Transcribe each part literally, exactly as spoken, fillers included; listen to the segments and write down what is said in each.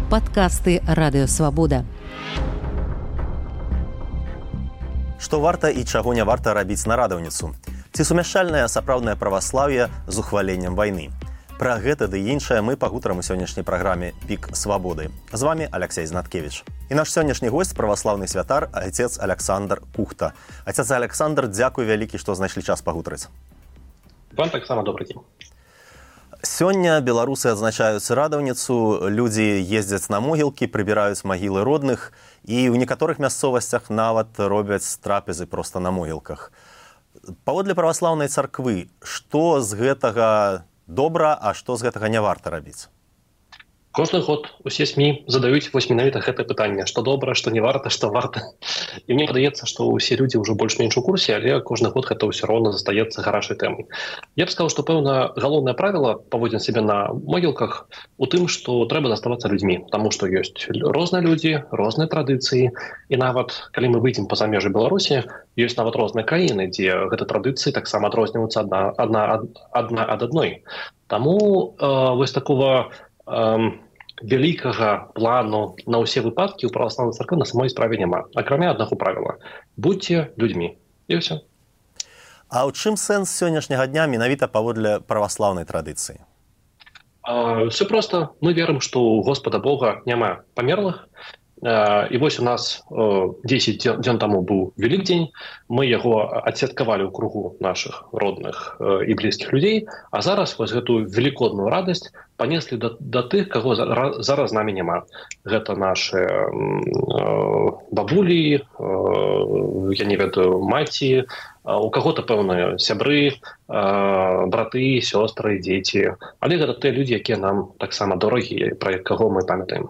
Падкасты Радыёвабода. Што варта і чаго не варта рабіць на радаўніцу? Ці сумяшчальнае сапраўднае праваслаўе з ухваленнем вайны? Пра гэта ды іншае мы пагутарым у сённяшняй праграме «Пік свабоды». З вами Алексей Знаткевич. І наш сённяшні госць – праваслаўны святар, отец Александр Кухта. Отец Александр, дзякуй вялікі, што знайшлі час пагутарыць. Вам таксама добрый дзень. Сёння беларусы адзначаюць радаўніцу, людзі ездзяць на могілкі, прыбіраюць магілы родных і ў некаторых мясцовасцях нават робяць трапезы проста на могілках. Паводле праваслаўнай царквы, што з гэтага добра, а што з гэтага не варта рабіць? Кожны год усе СМІ задаюць вось менавіта гэта пытанне, што добра, што не варта, што варта. І мне падаецца, што ўсе людзі ўжо больш-менш у курсе, але кожны год гэта ўсё роўна застаецца гарачай тэмай. Я б сказаў, што пэўна галоўнае правіла паводзін сябе на могілках у тым, што трэба заставацца людзьмі, таму што ёсць розныя людзі, розныя традыцыі, і нават калі мы выйдзем па-за межы Беларусі, ёсць нават розныя краіны, дзе гэта традыцыі таксама адрозніваюцца адна, адна, адна ад адной. Таму э, вось такого э, вялікага плану на ўсе выпадкі ў праваслаўнай царквы на самой справе няма. Акрамя аднаго правіла. Будьце людзьмі. І ўсё. А ў чым сэнс сённяшняга дня менавіта паводле праваслаўнай традыцыі? Все проста. Мы верым, што ў Господа Бога няма памерлых. І вось у нас дзесяць дзён таму быў Вялікдзень, мы яго адсвяткавалі ў кругу нашых родных і блізкіх людзей, а зараз вось гэтую велікодную радасць панеслі да, да тых, каго зараз з намі няма. Гэта нашы э, бабулі, э, я не ведаю, маці, у каго-то пэўныя сябры, э, браты, сёстры, дзеці. Але гэта тыя людзі, якія нам таксама дорагія, пра каго мы памятаем.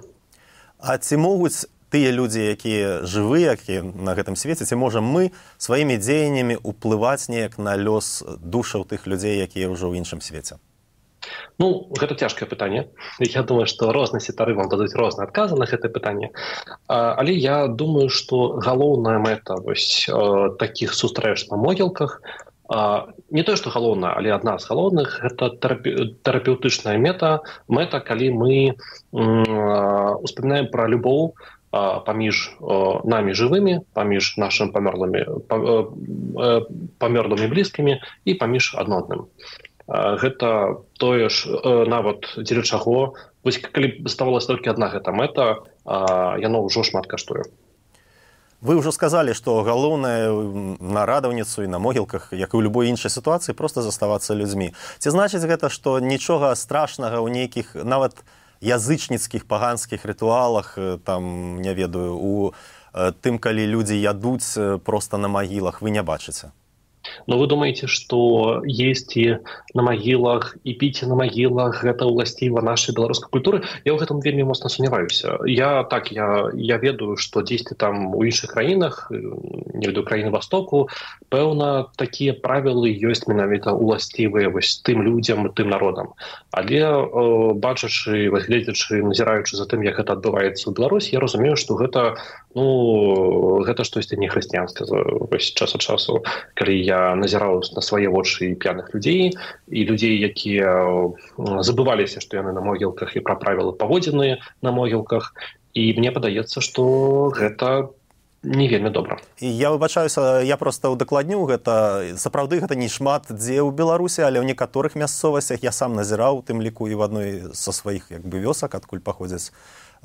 А ці могуць тыя людзі, якія жывыя, якія на гэтым свеце, ці можам мы сваімі дзеяннямі ўплываць неяк на лёс душаў тых людзей, якія ўжо ў іншым свеце? Ну, гэта цяжкае пытанне. Я думаю, што розныя святары вам дадуць розныя адказы на гэтае пытанне. Але я думаю, што галоўная мэта вось такіх сустрэч на могілках, не тое, што галоўна, але адна з галоўных, гэта тэрапеўтычная мета, мэта, калі мы успамінаем пра любоў паміж намі жывымі, паміж нашымі памерлымі, памерлымі блізкімі і паміж адно адным. Гэта тое ж нават дзеля чаго, вось калі ставалася толькі адна гэта мэта, яно ўжо шмат каштуе. Вы ўжо сказалі, што галоўнае на радаўніцу і на могілках, як і ў любой іншай сітуацыі, проста заставацца людзьмі. Ці значыць гэта, што нічога страшнага ў нейкіх нават язычніцкіх паганскіх рытуалах, там, не ведаю, у тым, калі людзі ядуць проста на магілах, вы не бачыце? Но вы думаете, что есці на магілах і піць на магілах гэта ўласціва нашай беларускай культуры? Я ў гэтым вельмі моцна сумняваюся. Я так, я, я ведаю, што дзесьці там у іншых краінах, не ведаю, краіны Востоку, пэўна, такія правілы ёсць менавіта ўласцівыя вось тым людзям, тым народам. Але э, бачачы, гледзячы, назіраючы за тым, як гэта адбываецца ў Беларусі, я разумею, што гэта, ну, гэта штосьці не хрысціянскае вось час ад часу, калі я назіраў на свае вочы п'яных людзей і людзей, якія забываліся, што яны на могілках і пра правілы паводзіны на могілках. І мне падаецца, што гэта не вельмі добра. І я выбачаюся, я проста удакладню, гэта сапраўды гэта не шмат дзе ў Беларусі, але ў некаторых мясцовасцях я сам назіраў, тым ліку і в адной са сваіх як бы вёсак, адкуль паходзяць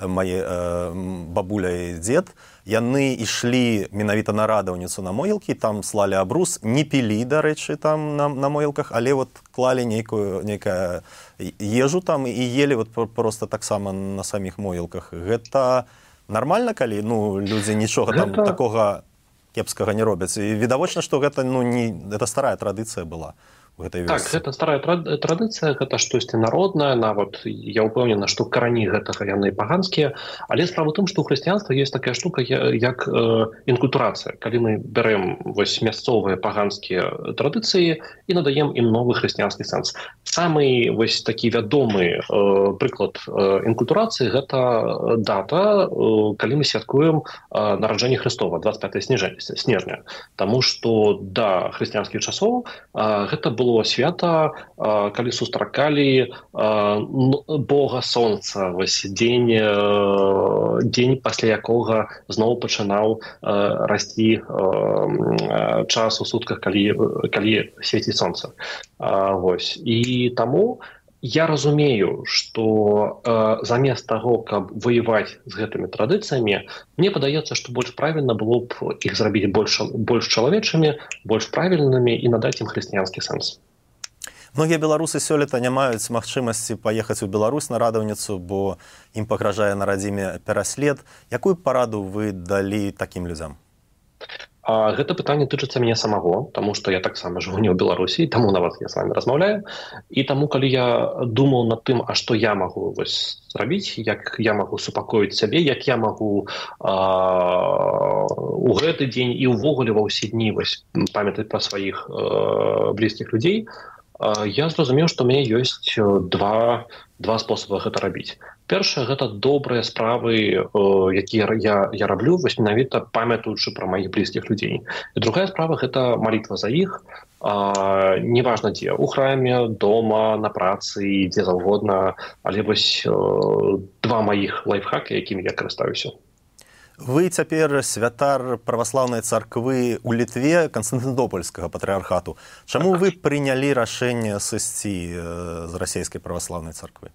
мае э, бабуля і дзед, яны ішлі менавіта на радаўніцу на могілкі, там слалі абрус, не пілі, дарэчы, там на, на могілках, але вот клалі нейкую, нейкая ежу там і елі вот просто таксама на саміх могілках. Гэта нармальна, калі ну, людзі нічога там гэта... такога кепскага не робяць? І відавочна, што гэта, ну, не, гэта старая традыцыя была. Так, гэта старая традыцыя, гэта штосьці народнае, нават я ўпэўнена, што карані гэтага яны паганскія, але справа ў тым, што ў хрысціянства ёсць такая штука, як э, інкультурацыя. Калі мы бярэм вось мясцовыя паганскія традыцыі і надаем ім новы хрысціянскі сэнс. Самы вось такі вядомы э, прыклад э, інкультурацыі – гэта дата, э, калі мы святкуем э, нараджэнне Хрыстова, дваццаць пятае снежня. Таму што да хрысціянскіх часоў э, гэта было было свята, калі сустракалі бога сонца, вось дзень, дзень пасля якога зноў пачынаў расці час у сутках, калі, калі свеціць сонца. Вось. І таму я разумею, што э, замест таго, каб ваяваць з гэтымі традыцыямі, мне падаецца, што больш правільна было б іх зрабіць больш, больш чалавечымі, больш правільнымі і надаць ім хрысціянскі сэнс. Многія беларусы сёлета не маюць магчымасці паехаць у Беларусь на радаўніцу, бо ім пагражае на радзіме пераслед. Якую параду вы далі такім людзям? А гэта пытанне тычыцца мяне самого, таму што я таксама жыву не ў Беларусі, таму нават я з вами размаўляю. І таму, калі я думаў над тым, а што я магу вось зрабіць, як я магу супакоіць сябе, як я магу а, у гэты дзень і ўвогуле ва ўсе дні вось памятаць пра сваіх а, блізкіх людзей, а, я зразумеў, што ў мяне ёсць два, два спосабы гэта рабіць. Першае, гэта добрыя справы, якія я, я раблю, вось менавіта памятаючы пра маіх блізкіх людзей. І другая справа, гэта малітва за іх, а, неважна дзе, у храме, дома, на працы, дзе заўгодна, але вось два маіх лайфхакі, якімі я карыстаюся. Вы цяпер святар праваслаўнай царквы ў Літве Канстантынопольскага патрыархату. Чаму вы прынялі рашэнне сысці з расійскай праваслаўнай царквы?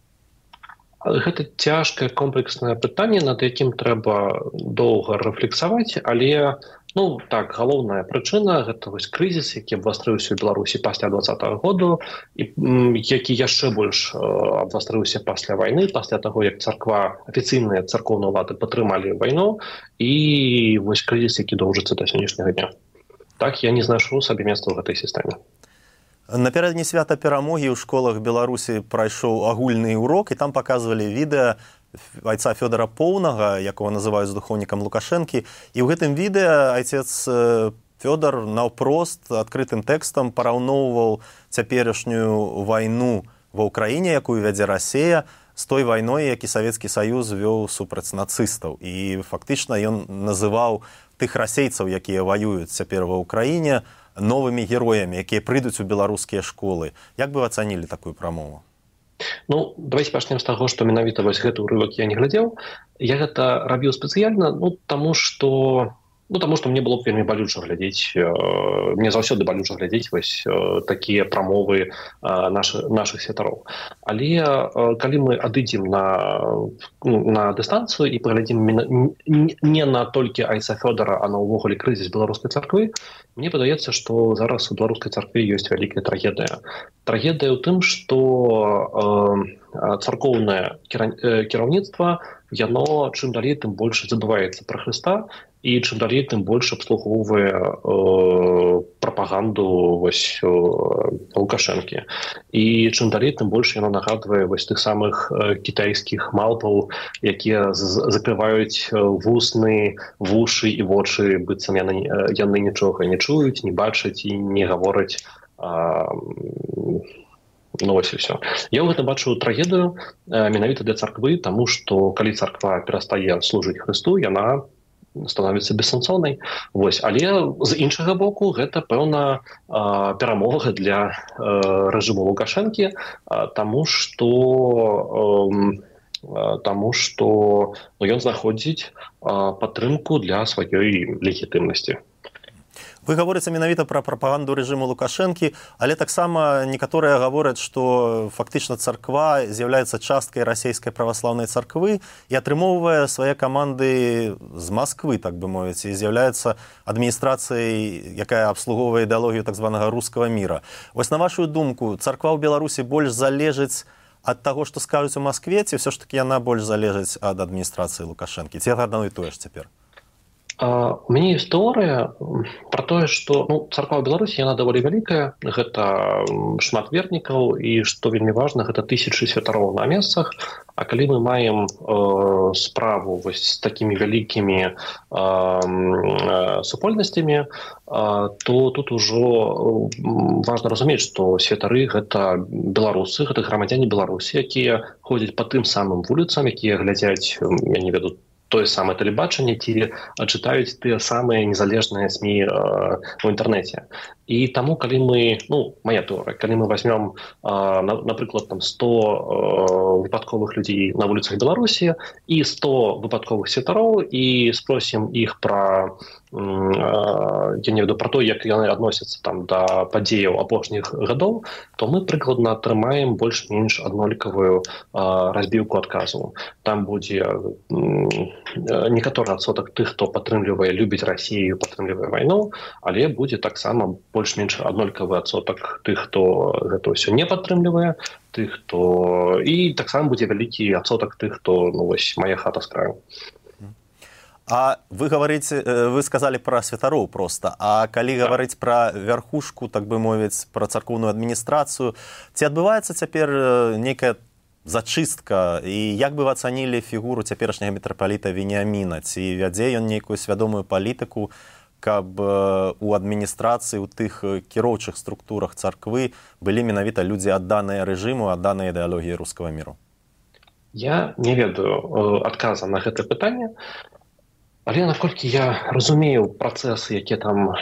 Гэта цяжкае комплекснае пытанне, над якім трэба доўга рэфлексаваць, але ну так, галоўная прычына гэта вось крызіс, які абвастрыўся ў Беларусі пасля двадцатага году, і які яшчэ больш абвастрыўся пасля вайны, пасля таго, як царква, афіцыйныя царкоўныя ўлады падтрымалі вайну, і вось крызіс, які доўжыцца да сённяшняга дня. Так, я не знайшоў сабе месца ў гэтай сістэме. Напярэдадні свята перамогі ў школах Беларусі прайшоў агульны урок, і там паказвалі відэа айца Фёдора Поўнага, якога называюць духоўнікам Лукашэнкі. І ў гэтым відэа айцец Фёдор наўпрост адкрытым тэкстам параўноўваў цяперашнюю вайну ва ўкраіне, якую вядзе Расія, з той вайной, які Савецкі Саюз вёў супраць нацыстаў. І фактычна ён называў тых расейцаў, якія ваююць цяпер ва ўкраіне, новымі героямі, якія прыйдуць у беларускія школы. Як бы вы ацанілі такую прамову? Ну, давайте пачнем з таго, што менавіта вось гэты ўрывак я не глядзеў. Я гэта рабіў спецыяльна, ну, таму што Ну, таму што мне было б вельмі балюча глядзець, мне заўсёды балюча глядзець вось такія прамовы нашых, нашых святароў. Але калі мы адыдзем на, на дыстанцыю і паглядзім не на толькі айца Фёдора, а на ўвогуле крызіс беларускай царквы, мне падаецца, што зараз у беларускай царкве ёсць вялікая трагедыя. Трагедыя ў тым, што царкоўнае кіраўніцтва, яно чым далей, тым больш забываецца пра Хрыста, і чым далей, тым больш абслугоўвае э, прапаганду вось, э, Лукашэнкі. І чым далей, тым больш яно нагадвае вось тых самых э, кітайскіх малпаў, якія закрываюць вусны, вушы і вочы, быццам яны, яны нічога не чуюць, не бачаць і не гавораць. Э, Ну, вось і ўсё. Я ў гэта бачу трагедыю э, менавіта для царквы, таму што калі царква перастае служыць Хрысту, яна становіцца бессэнсоўнай. Вось. Але з іншага боку гэта пэўна э, перамога для э, рэжыму Лукашэнкі, э, таму што э, таму што ну, ён знаходзіць э, падтрымку для сваёй легітымнасці. Вы гаворыце менавіта пра прапаганду рэжыму Лукашэнкі, але таксама некаторыя гавораць, што фактычна царква з'яўляецца часткай расійскай праваслаўнай царквы і атрымоўвае свае каманды з Масквы, так бы мовіць, і з'яўляецца адміністрацыяй, якая абслугоўвае ідэалогію так званага рускага міра. Вось на вашу думку, царква ў Беларусі больш залежыць ад таго, што скажуць у Маскве, ці ўсё ж такі яна больш залежыць ад адміністрацыі Лукашэнкі? Ці адно і тое ж цяпер? Uh, у мяне ёсць тэорыя пра тое, што ну, царква ў Беларусі яна даволі вялікая, гэта шмат вернікаў, і што вельмі важна, гэта тысячы святароў на месцах. А калі мы маем э, справу вось з такімі вялікімі э, э, супольнасцямі, э, то тут ужо важна разумець, што святары гэта беларусы, гэта грамадзяне Беларусі, якія ходзяць па тым самым вуліцам, якія глядзяць, я не веду, тое самае тэлебачанне, ці чытаюць тыя самыя незалежныя СМІ ў інтэрнэце. І таму, калі мы, ну, моя тэорыя, калі мы возьмем, напрыклад, там сто выпадковых людзей на вуліцах Беларусі і сто выпадковых святароў і спросім іх пра, я не веду, пра то, як яны адносяцца там да падзеяў апошніх гадоў, то мы прыкладна атрымаем больш-менш аднолькавую разбіўку адказу. Там будзе некаторы адсотак тых, хто падтрымлівае, любіць Расію, падтрымлівае вайну, але будзе таксама больш-менш аднолькавы адсотак тых, хто гэта ўсё не падтрымлівае, тых, хто... і таксама будзе вялікі адсотак тых, хто, ну, вось, мая хата з краю. А вы говорите, вы сказали про святароў просто, а калі говорить про верхушку, так бы мовіць, про царкоўную адміністрацыю, ці адбываецца цяпер нейкая зачыстка, і як бы вы ацанілі фігуру цяперашняга мітрапаліта Веніаміна, ці вядзе ён нейкую свядомую палітыку, каб у адміністрацыі, у тых кіроўчых структурах царквы былі менавіта людзі адданыя рэжыму, адданыя ідэалогіі рускага міру? Я не ведаю адказа на гэта пытанне, але наколькі я разумею працэсы, якія там,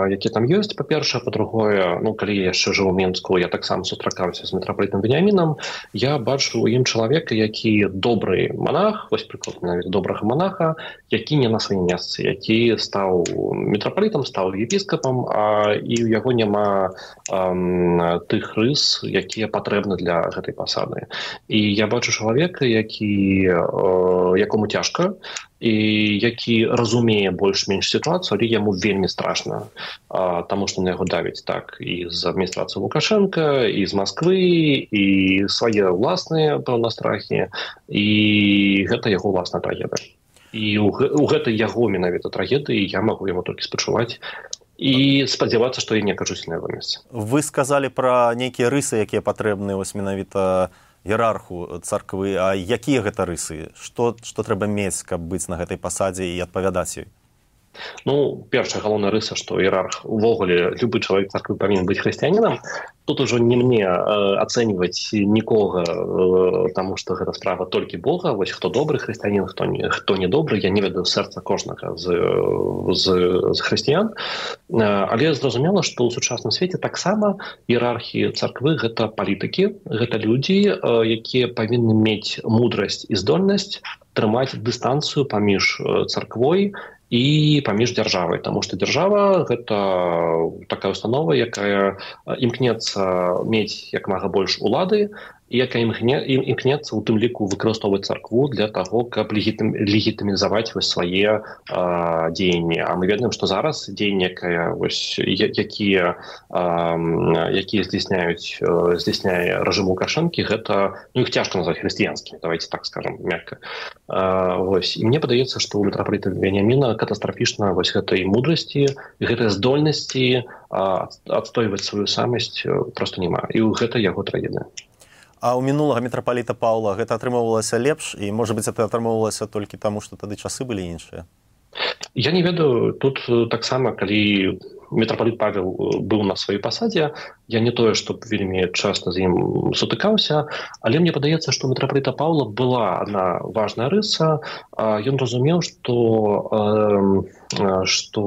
якія там ёсць, па-першае, па-другое, ну, калі я яшчэ жыў у Менску, я таксама сустракаўся з мітрапалітам Веніамінам, я бачу ў ім чалавека, які добры манах, вось прыклад нават добрага манаха, які не на сваім месцы, які стаў мітрапалітам, стаў епіскапам, а і ў яго няма ам, тых рыс, якія патрэбны для гэтай пасады. І я бачу чалавека, які, э, якому цяжка, і які разумее больш-менш сітуацыю, але яму вельмі страшна, а, таму што на яго давіць так і з адміністрацыі Лукашенка, і з Масквы, і свае ўласныя, пэўна, страхі, і гэта яго ўласная трагедыя. І ў гэтай яго менавіта трагедыі я магу яму толькі спачуваць і спадзявацца, што я не акажусь на яго месцы. Вы сказалі пра нейкія рысы, якія патрэбны вось менавіта іерарху царквы, а якія гэта рысы? Што, што трэба мець, каб быць на гэтай пасадзе і адпавядаць ёй? Ну, першая галоўная рыса, што іерарх, увогуле, любы чалавек царквы павінен быць хрысціянінам. Тут ужо не мне э, ацэньваць нікога, э, таму што гэта справа толькі Бога. Вось хто добры хрысціянін, хто не, хто не добры, я не ведаю сэрца кожнага з, з, з хрысціян. Э, але зразумела, што ў сучасным свеце таксама іерархі царквы гэта палітыкі, гэта людзі, э, якія павінны мець мудрасць і здольнасць трымаць дыстанцыю паміж царквой і паміж дзяржавай, таму што дзяржава гэта такая установа, якая імкнецца мець як мага больш улады, і якая імкнецца у тым ліку выкарыстоўваць царкву для таго, каб легітымізаваць вось свае а, дзеянні. А мы ведаем, што зараз дзеянні, якія, якія здзяйсняюць здзяйсняе рэжым Лукашэнкі, гэта, ну, іх цяжка назваць хрысціянскімі, давайте так скажам мякка. А, вось. І мне падаецца, што у мітрапаліта Веніаміна катастрафічна вось гэтай мудрасці, гэтай здольнасці а, адстойваць сваю самасць проста няма. І гэта яго трагедыя. А ў мінулага мітрапаліта Паўла гэта атрымоўвалася лепш, і, можа быць, это атрымоўвалася толькі таму, што тады часы былі іншыя? Я не ведаю, тут таксама, калі мітрапаліт Павел быў на сваёй пасадзе, я не тое, што вельмі часта з ім сутыкаўся, але мне падаецца, што у мітрапаліта Паўла была адна важная рыса. Ён разумеў, што, што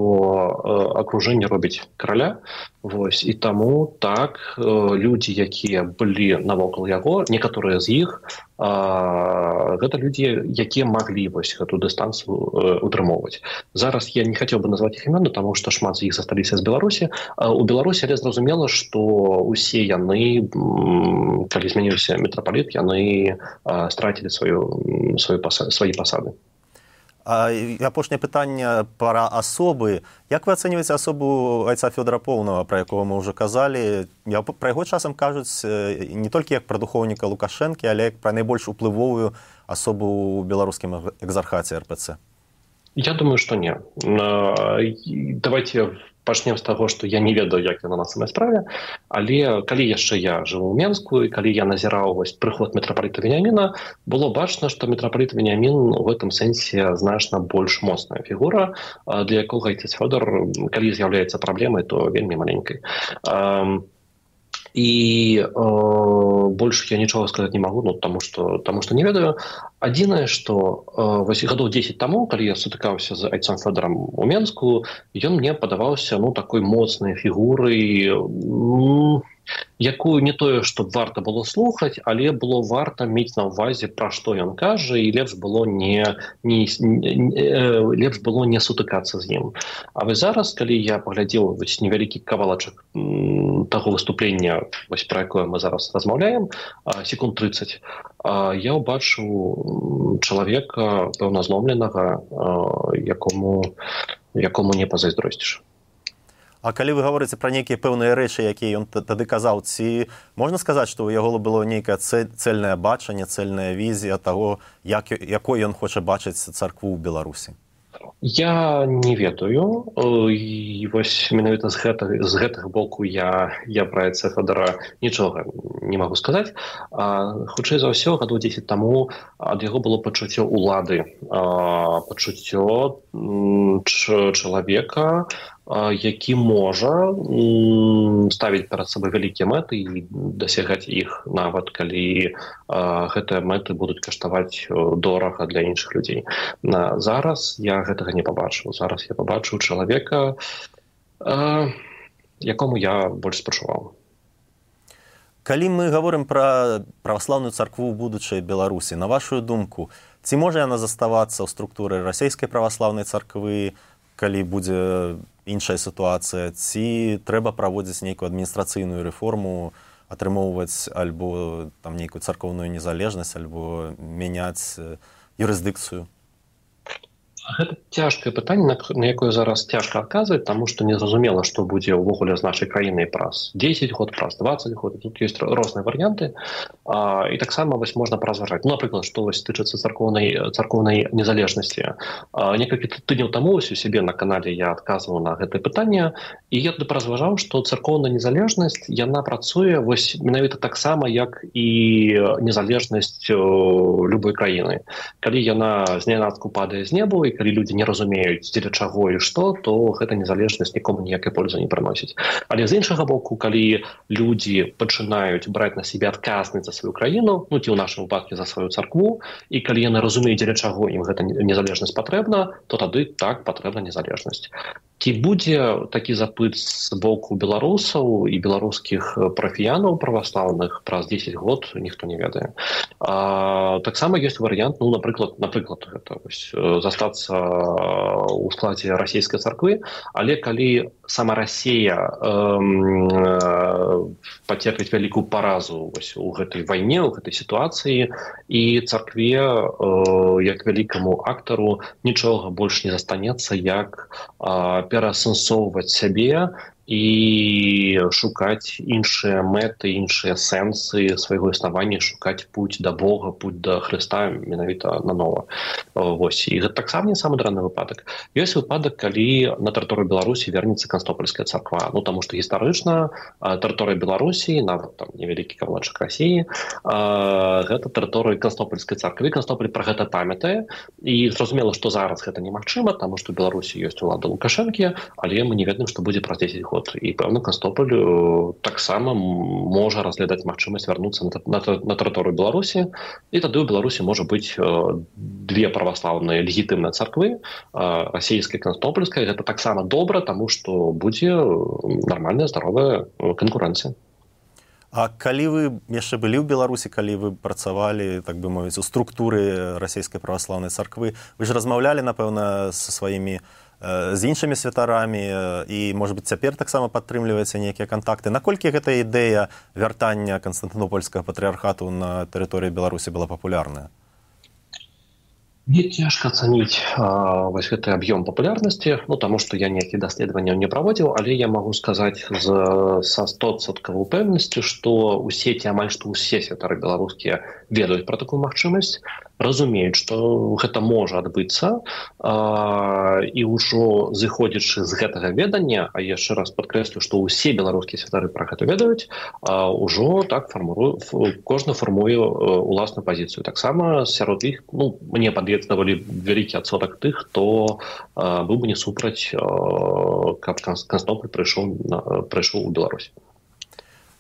акружэнне робіць караля, вось, і таму так людзі, якія былі навокал яго, некаторыя з іх, гэта людзі, якія маглі вось гэту дыстанцыю утрымоўваць. Зараз я не хацеў бы назваць іх імёны, таму што шмат з іх засталіся з Беларусі. У Беларусі, але зразумела, што усе яны, калі змяніўся мітрапаліт, яны страцілі сваю, сваю пасад, свае пасады. А апошняе пытанне пра асобы. Як вы ацэньваеце асобу айца Фёдора Поўнага, пра якога мы ўжо казалі? Пра яго часам кажуць не толькі як пра духоўніка Лукашэнкі, але як пра найбольш уплывовую асобу ў беларускім экзархаце эр пэ цэ. Я думаю, што не. Давайте пачнем з таго, што я не ведаю, як яна на самай справе, але калі яшчэ я жыў у Менску, і калі я назіраў вось прыход мітрапаліта Веніаміна, было бачна, што мітрапаліт Веніамін у гэтым сэнсе значна больш моцная фігура, для якога айцец Фёдор, калі з'яўляецца праблемай, то вельмі маленькай. і э, больше я нічога сказаць не магу, ну, таму што, таму што не ведаю. Адзінае, што э, гадоў дзесяць таму, калі я сутыкаўся з айцом Фёдорам у Менску, ён мне падаваўся ну, такой моцнай фігурай, м- якую не тое, што варта было слухаць, але было варта мець на ўвазе, пра што ён кажа, і лепш было не, не, не, лепш было не сутыкацца з ім. А вось зараз, калі я паглядзеў вось невялікі кавалачак таго выступлення, вось пра якое мы зараз размаўляем, секунд трыццаць, я ўбачыў чалавека пэўна зломленага, якому, якому не пазайздросціш. А калі вы гаворыце пра нейкія пэўныя рэчы, якія ён тады казаў, ці можна сказаць, што ў яго было нейкае цэльнае бачанне, цэльная візія таго, як, якой ён хоча бачыць царкву ў Беларусі? Я не ведаю. І вось менавіта з гэтага, з гэтага боку я, я пра айца Фёдора нічога не магу сказаць. А, хутчэй за ўсё, гадоў дзесяць таму ад яго было пачуццё ўлады, а, пачуццё ч, чалавека, які можа ставіць перад сабой вялікія мэты і дасягаць іх, нават калі гэтыя мэты будуць каштаваць дорага для іншых людзей. Зараз я гэтага не пабачыў. Зараз я пабачыў чалавека, якому я больш спачуваў. Калі мы гаворым пра праваслаўную царкву ў будучай Беларусі, на вашу думку, ці можа яна заставацца ў структуры расійскай праваслаўнай царквы, калі будзе іншая сітуацыя, ці трэба праводзіць нейкую адміністрацыйную рэформу, атрымоўваць альбо там нейкую царкоўную незалежнасць, альбо мяняць юрысдыкцыю? Гэта цяжкае пытанне, на якое зараз цяжка адказваць, таму што незразумела, што будзе ўвогуле з нашай краінай праз дзесяць год, праз дваццаць год. Тут ёсць розныя варыянты. А, і таксама вось можна паразважаць. Ну, напрыклад, што вось тычыцца царкоўнай, царкоўнай незалежнасці. А, некалькі тыдняў таму вось у сябе на канале я адказваў на гэтае пытанне, і я туды паразважаў, што царкоўная незалежнасць, яна працуе вось менавіта таксама, як і незалежнасць любой краіны. Калі яна знянацку падае з небу, і калі людзі не разумеюць, дзеля чаго і што, то гэта незалежнасць нікому ніякай пользы не прыносіць. Але з іншага боку, калі людзі пачынаюць браць на сябе адказнасць за сваю краіну, ну ці ў нашым выпадку за сваю царкву, і калі яны разумеюць, дзеля чаго ім гэта незалежнасць патрэбна, то тады так патрэбна незалежнасць. Ці будзе такі запыт з боку беларусаў і беларускіх парафіянаў праваслаўных праз дзесяць год, ніхто не ведае. А, таксама ёсць варыянт, ну, напрыклад, напрыклад гэта вось, застацца ў складзе расійскай царквы, але калі сама Расія эм, э, пацерпіць вялікую паразу вось, у гэтай вайне, у гэтай сітуацыі, і царкве, э, як вялікаму актару, нічога больш не застанецца, як э, пераасэнсоўваць сябе і шукаць іншыя мэты, іншыя сэнсы свайго існавання, шукаць путь да Бога, путь да Хрыста менавіта нанова. Вось. І гэта таксама не самы дрэнны выпадак. Ёсць выпадак, калі на тэрыторыю Беларусі вернецца Канстопольская царква. Ну, таму што гістарычна тэрыторыя Беларусі, нават там невялікі кавалачак Расіі, гэта тэрыторыя Канстопольскай царквы. Канстополь пра гэта памятае. І зразумела, што зараз гэта немагчыма, таму што ў Беларусі ёсць улада Лукашэнкі, але мы не ведаем, што будзе праз дзесяць год. І пэўна Канстополь таксама можа разглядаць магчымасць вярнуцца на, на, на тэрыторыю Беларусі, і тады ў Беларусі можа быць две праваслаўныя легітымныя царквы, расійская, канстопольская. Гэта таксама добра, таму што будзе нармальная здаровая канкурэнцыя. А калі вы яшчэ былі ў Беларусі, калі вы працавалі, так бы мовіць, у структуры расійскай праваслаўнай царквы, вы ж размаўлялі, напэўна, са сваімі з іншымі святарамі і, можа быць, цяпер таксама падтрымліваеце нейкія кантакты. Наколькі гэта ідэя вяртання Канстантынопольскага патрыархату на тэрыторыі Беларусі была папулярная? Мне цяжка ацаніць а, вось гэты аб'ём папулярнасці, ну, таму што я ніякіх даследаванняў не праводзіў, але я магу сказаць з, са стопроцентнай упэўненасцю, што ўсе ці амаль што ўсе святары беларускія ведаюць пра такую магчымасць, разумеюць, што гэта можа адбыцца, а, і ўжо зыходзячы з гэтага ведання, а яшчэ раз падкрэслю, што ўсе беларускія святары пра гэта ведаюць, а, ўжо так фармуру, кожны фармуе уласную пазіцыю. Таксама сярод іх, ну, мне падаецца даволі вялікі адсотак тых, хто а, быў бы не супраць, а, каб Канстополь прыйшоў, прыйшоў у Беларусь.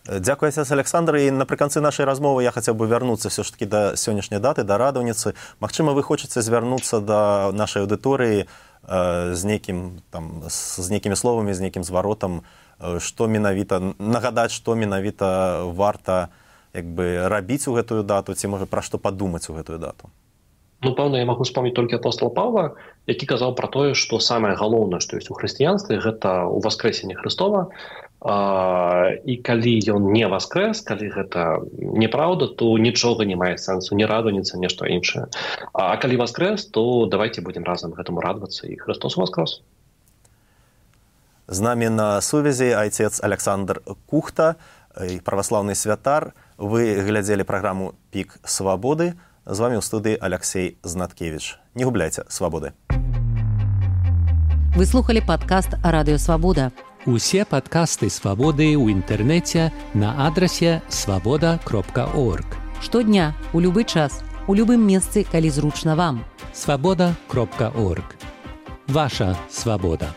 Дзякуй, отец Александр. І напрыканцы нашай размовы я хацеў бы вярнуцца все ж таки да сённяшняй даты, да радаўніцы. Магчыма, вы хочаце звярнуцца да нашай аўдыторыі э, з нейкім там з нейкімі словамі, з нейкім зваротам, э, што менавіта нагадаць, што менавіта варта як бы рабіць у гэтую дату, ці можа пра што падумаць у гэтую дату. Ну, пэўна, я магу вспомніць толькі апостола Павла, які казаў пра тое, што самае галоўнае, што ёсць у хрысціянстве, гэта ўваскрэсенне Хрыстова. А, і калі ён не воскрес, калі гэта неправда, то нічога не мае сэнсу, не радуецца, нешта іншае. А калі воскрес, то давайте будем разам гэтаму радавацца, і Христос воскрес. З намі на сувязі отец Александр Кухта, праваслаўны святар. Вы глядзелі праграму «Пік свабоды». З вами ў студыі Алексей Знаткевич. Не губляйце свабоды. Вы слухали падкаст «Радыё Свабода». Усе падкасты «Свабоды» ў інтэрнэце на адрасе свабода кропка орг. Штодня, у любы час, у любым месцы, калі зручна вам. свабода кропка орг. Ваша свабода.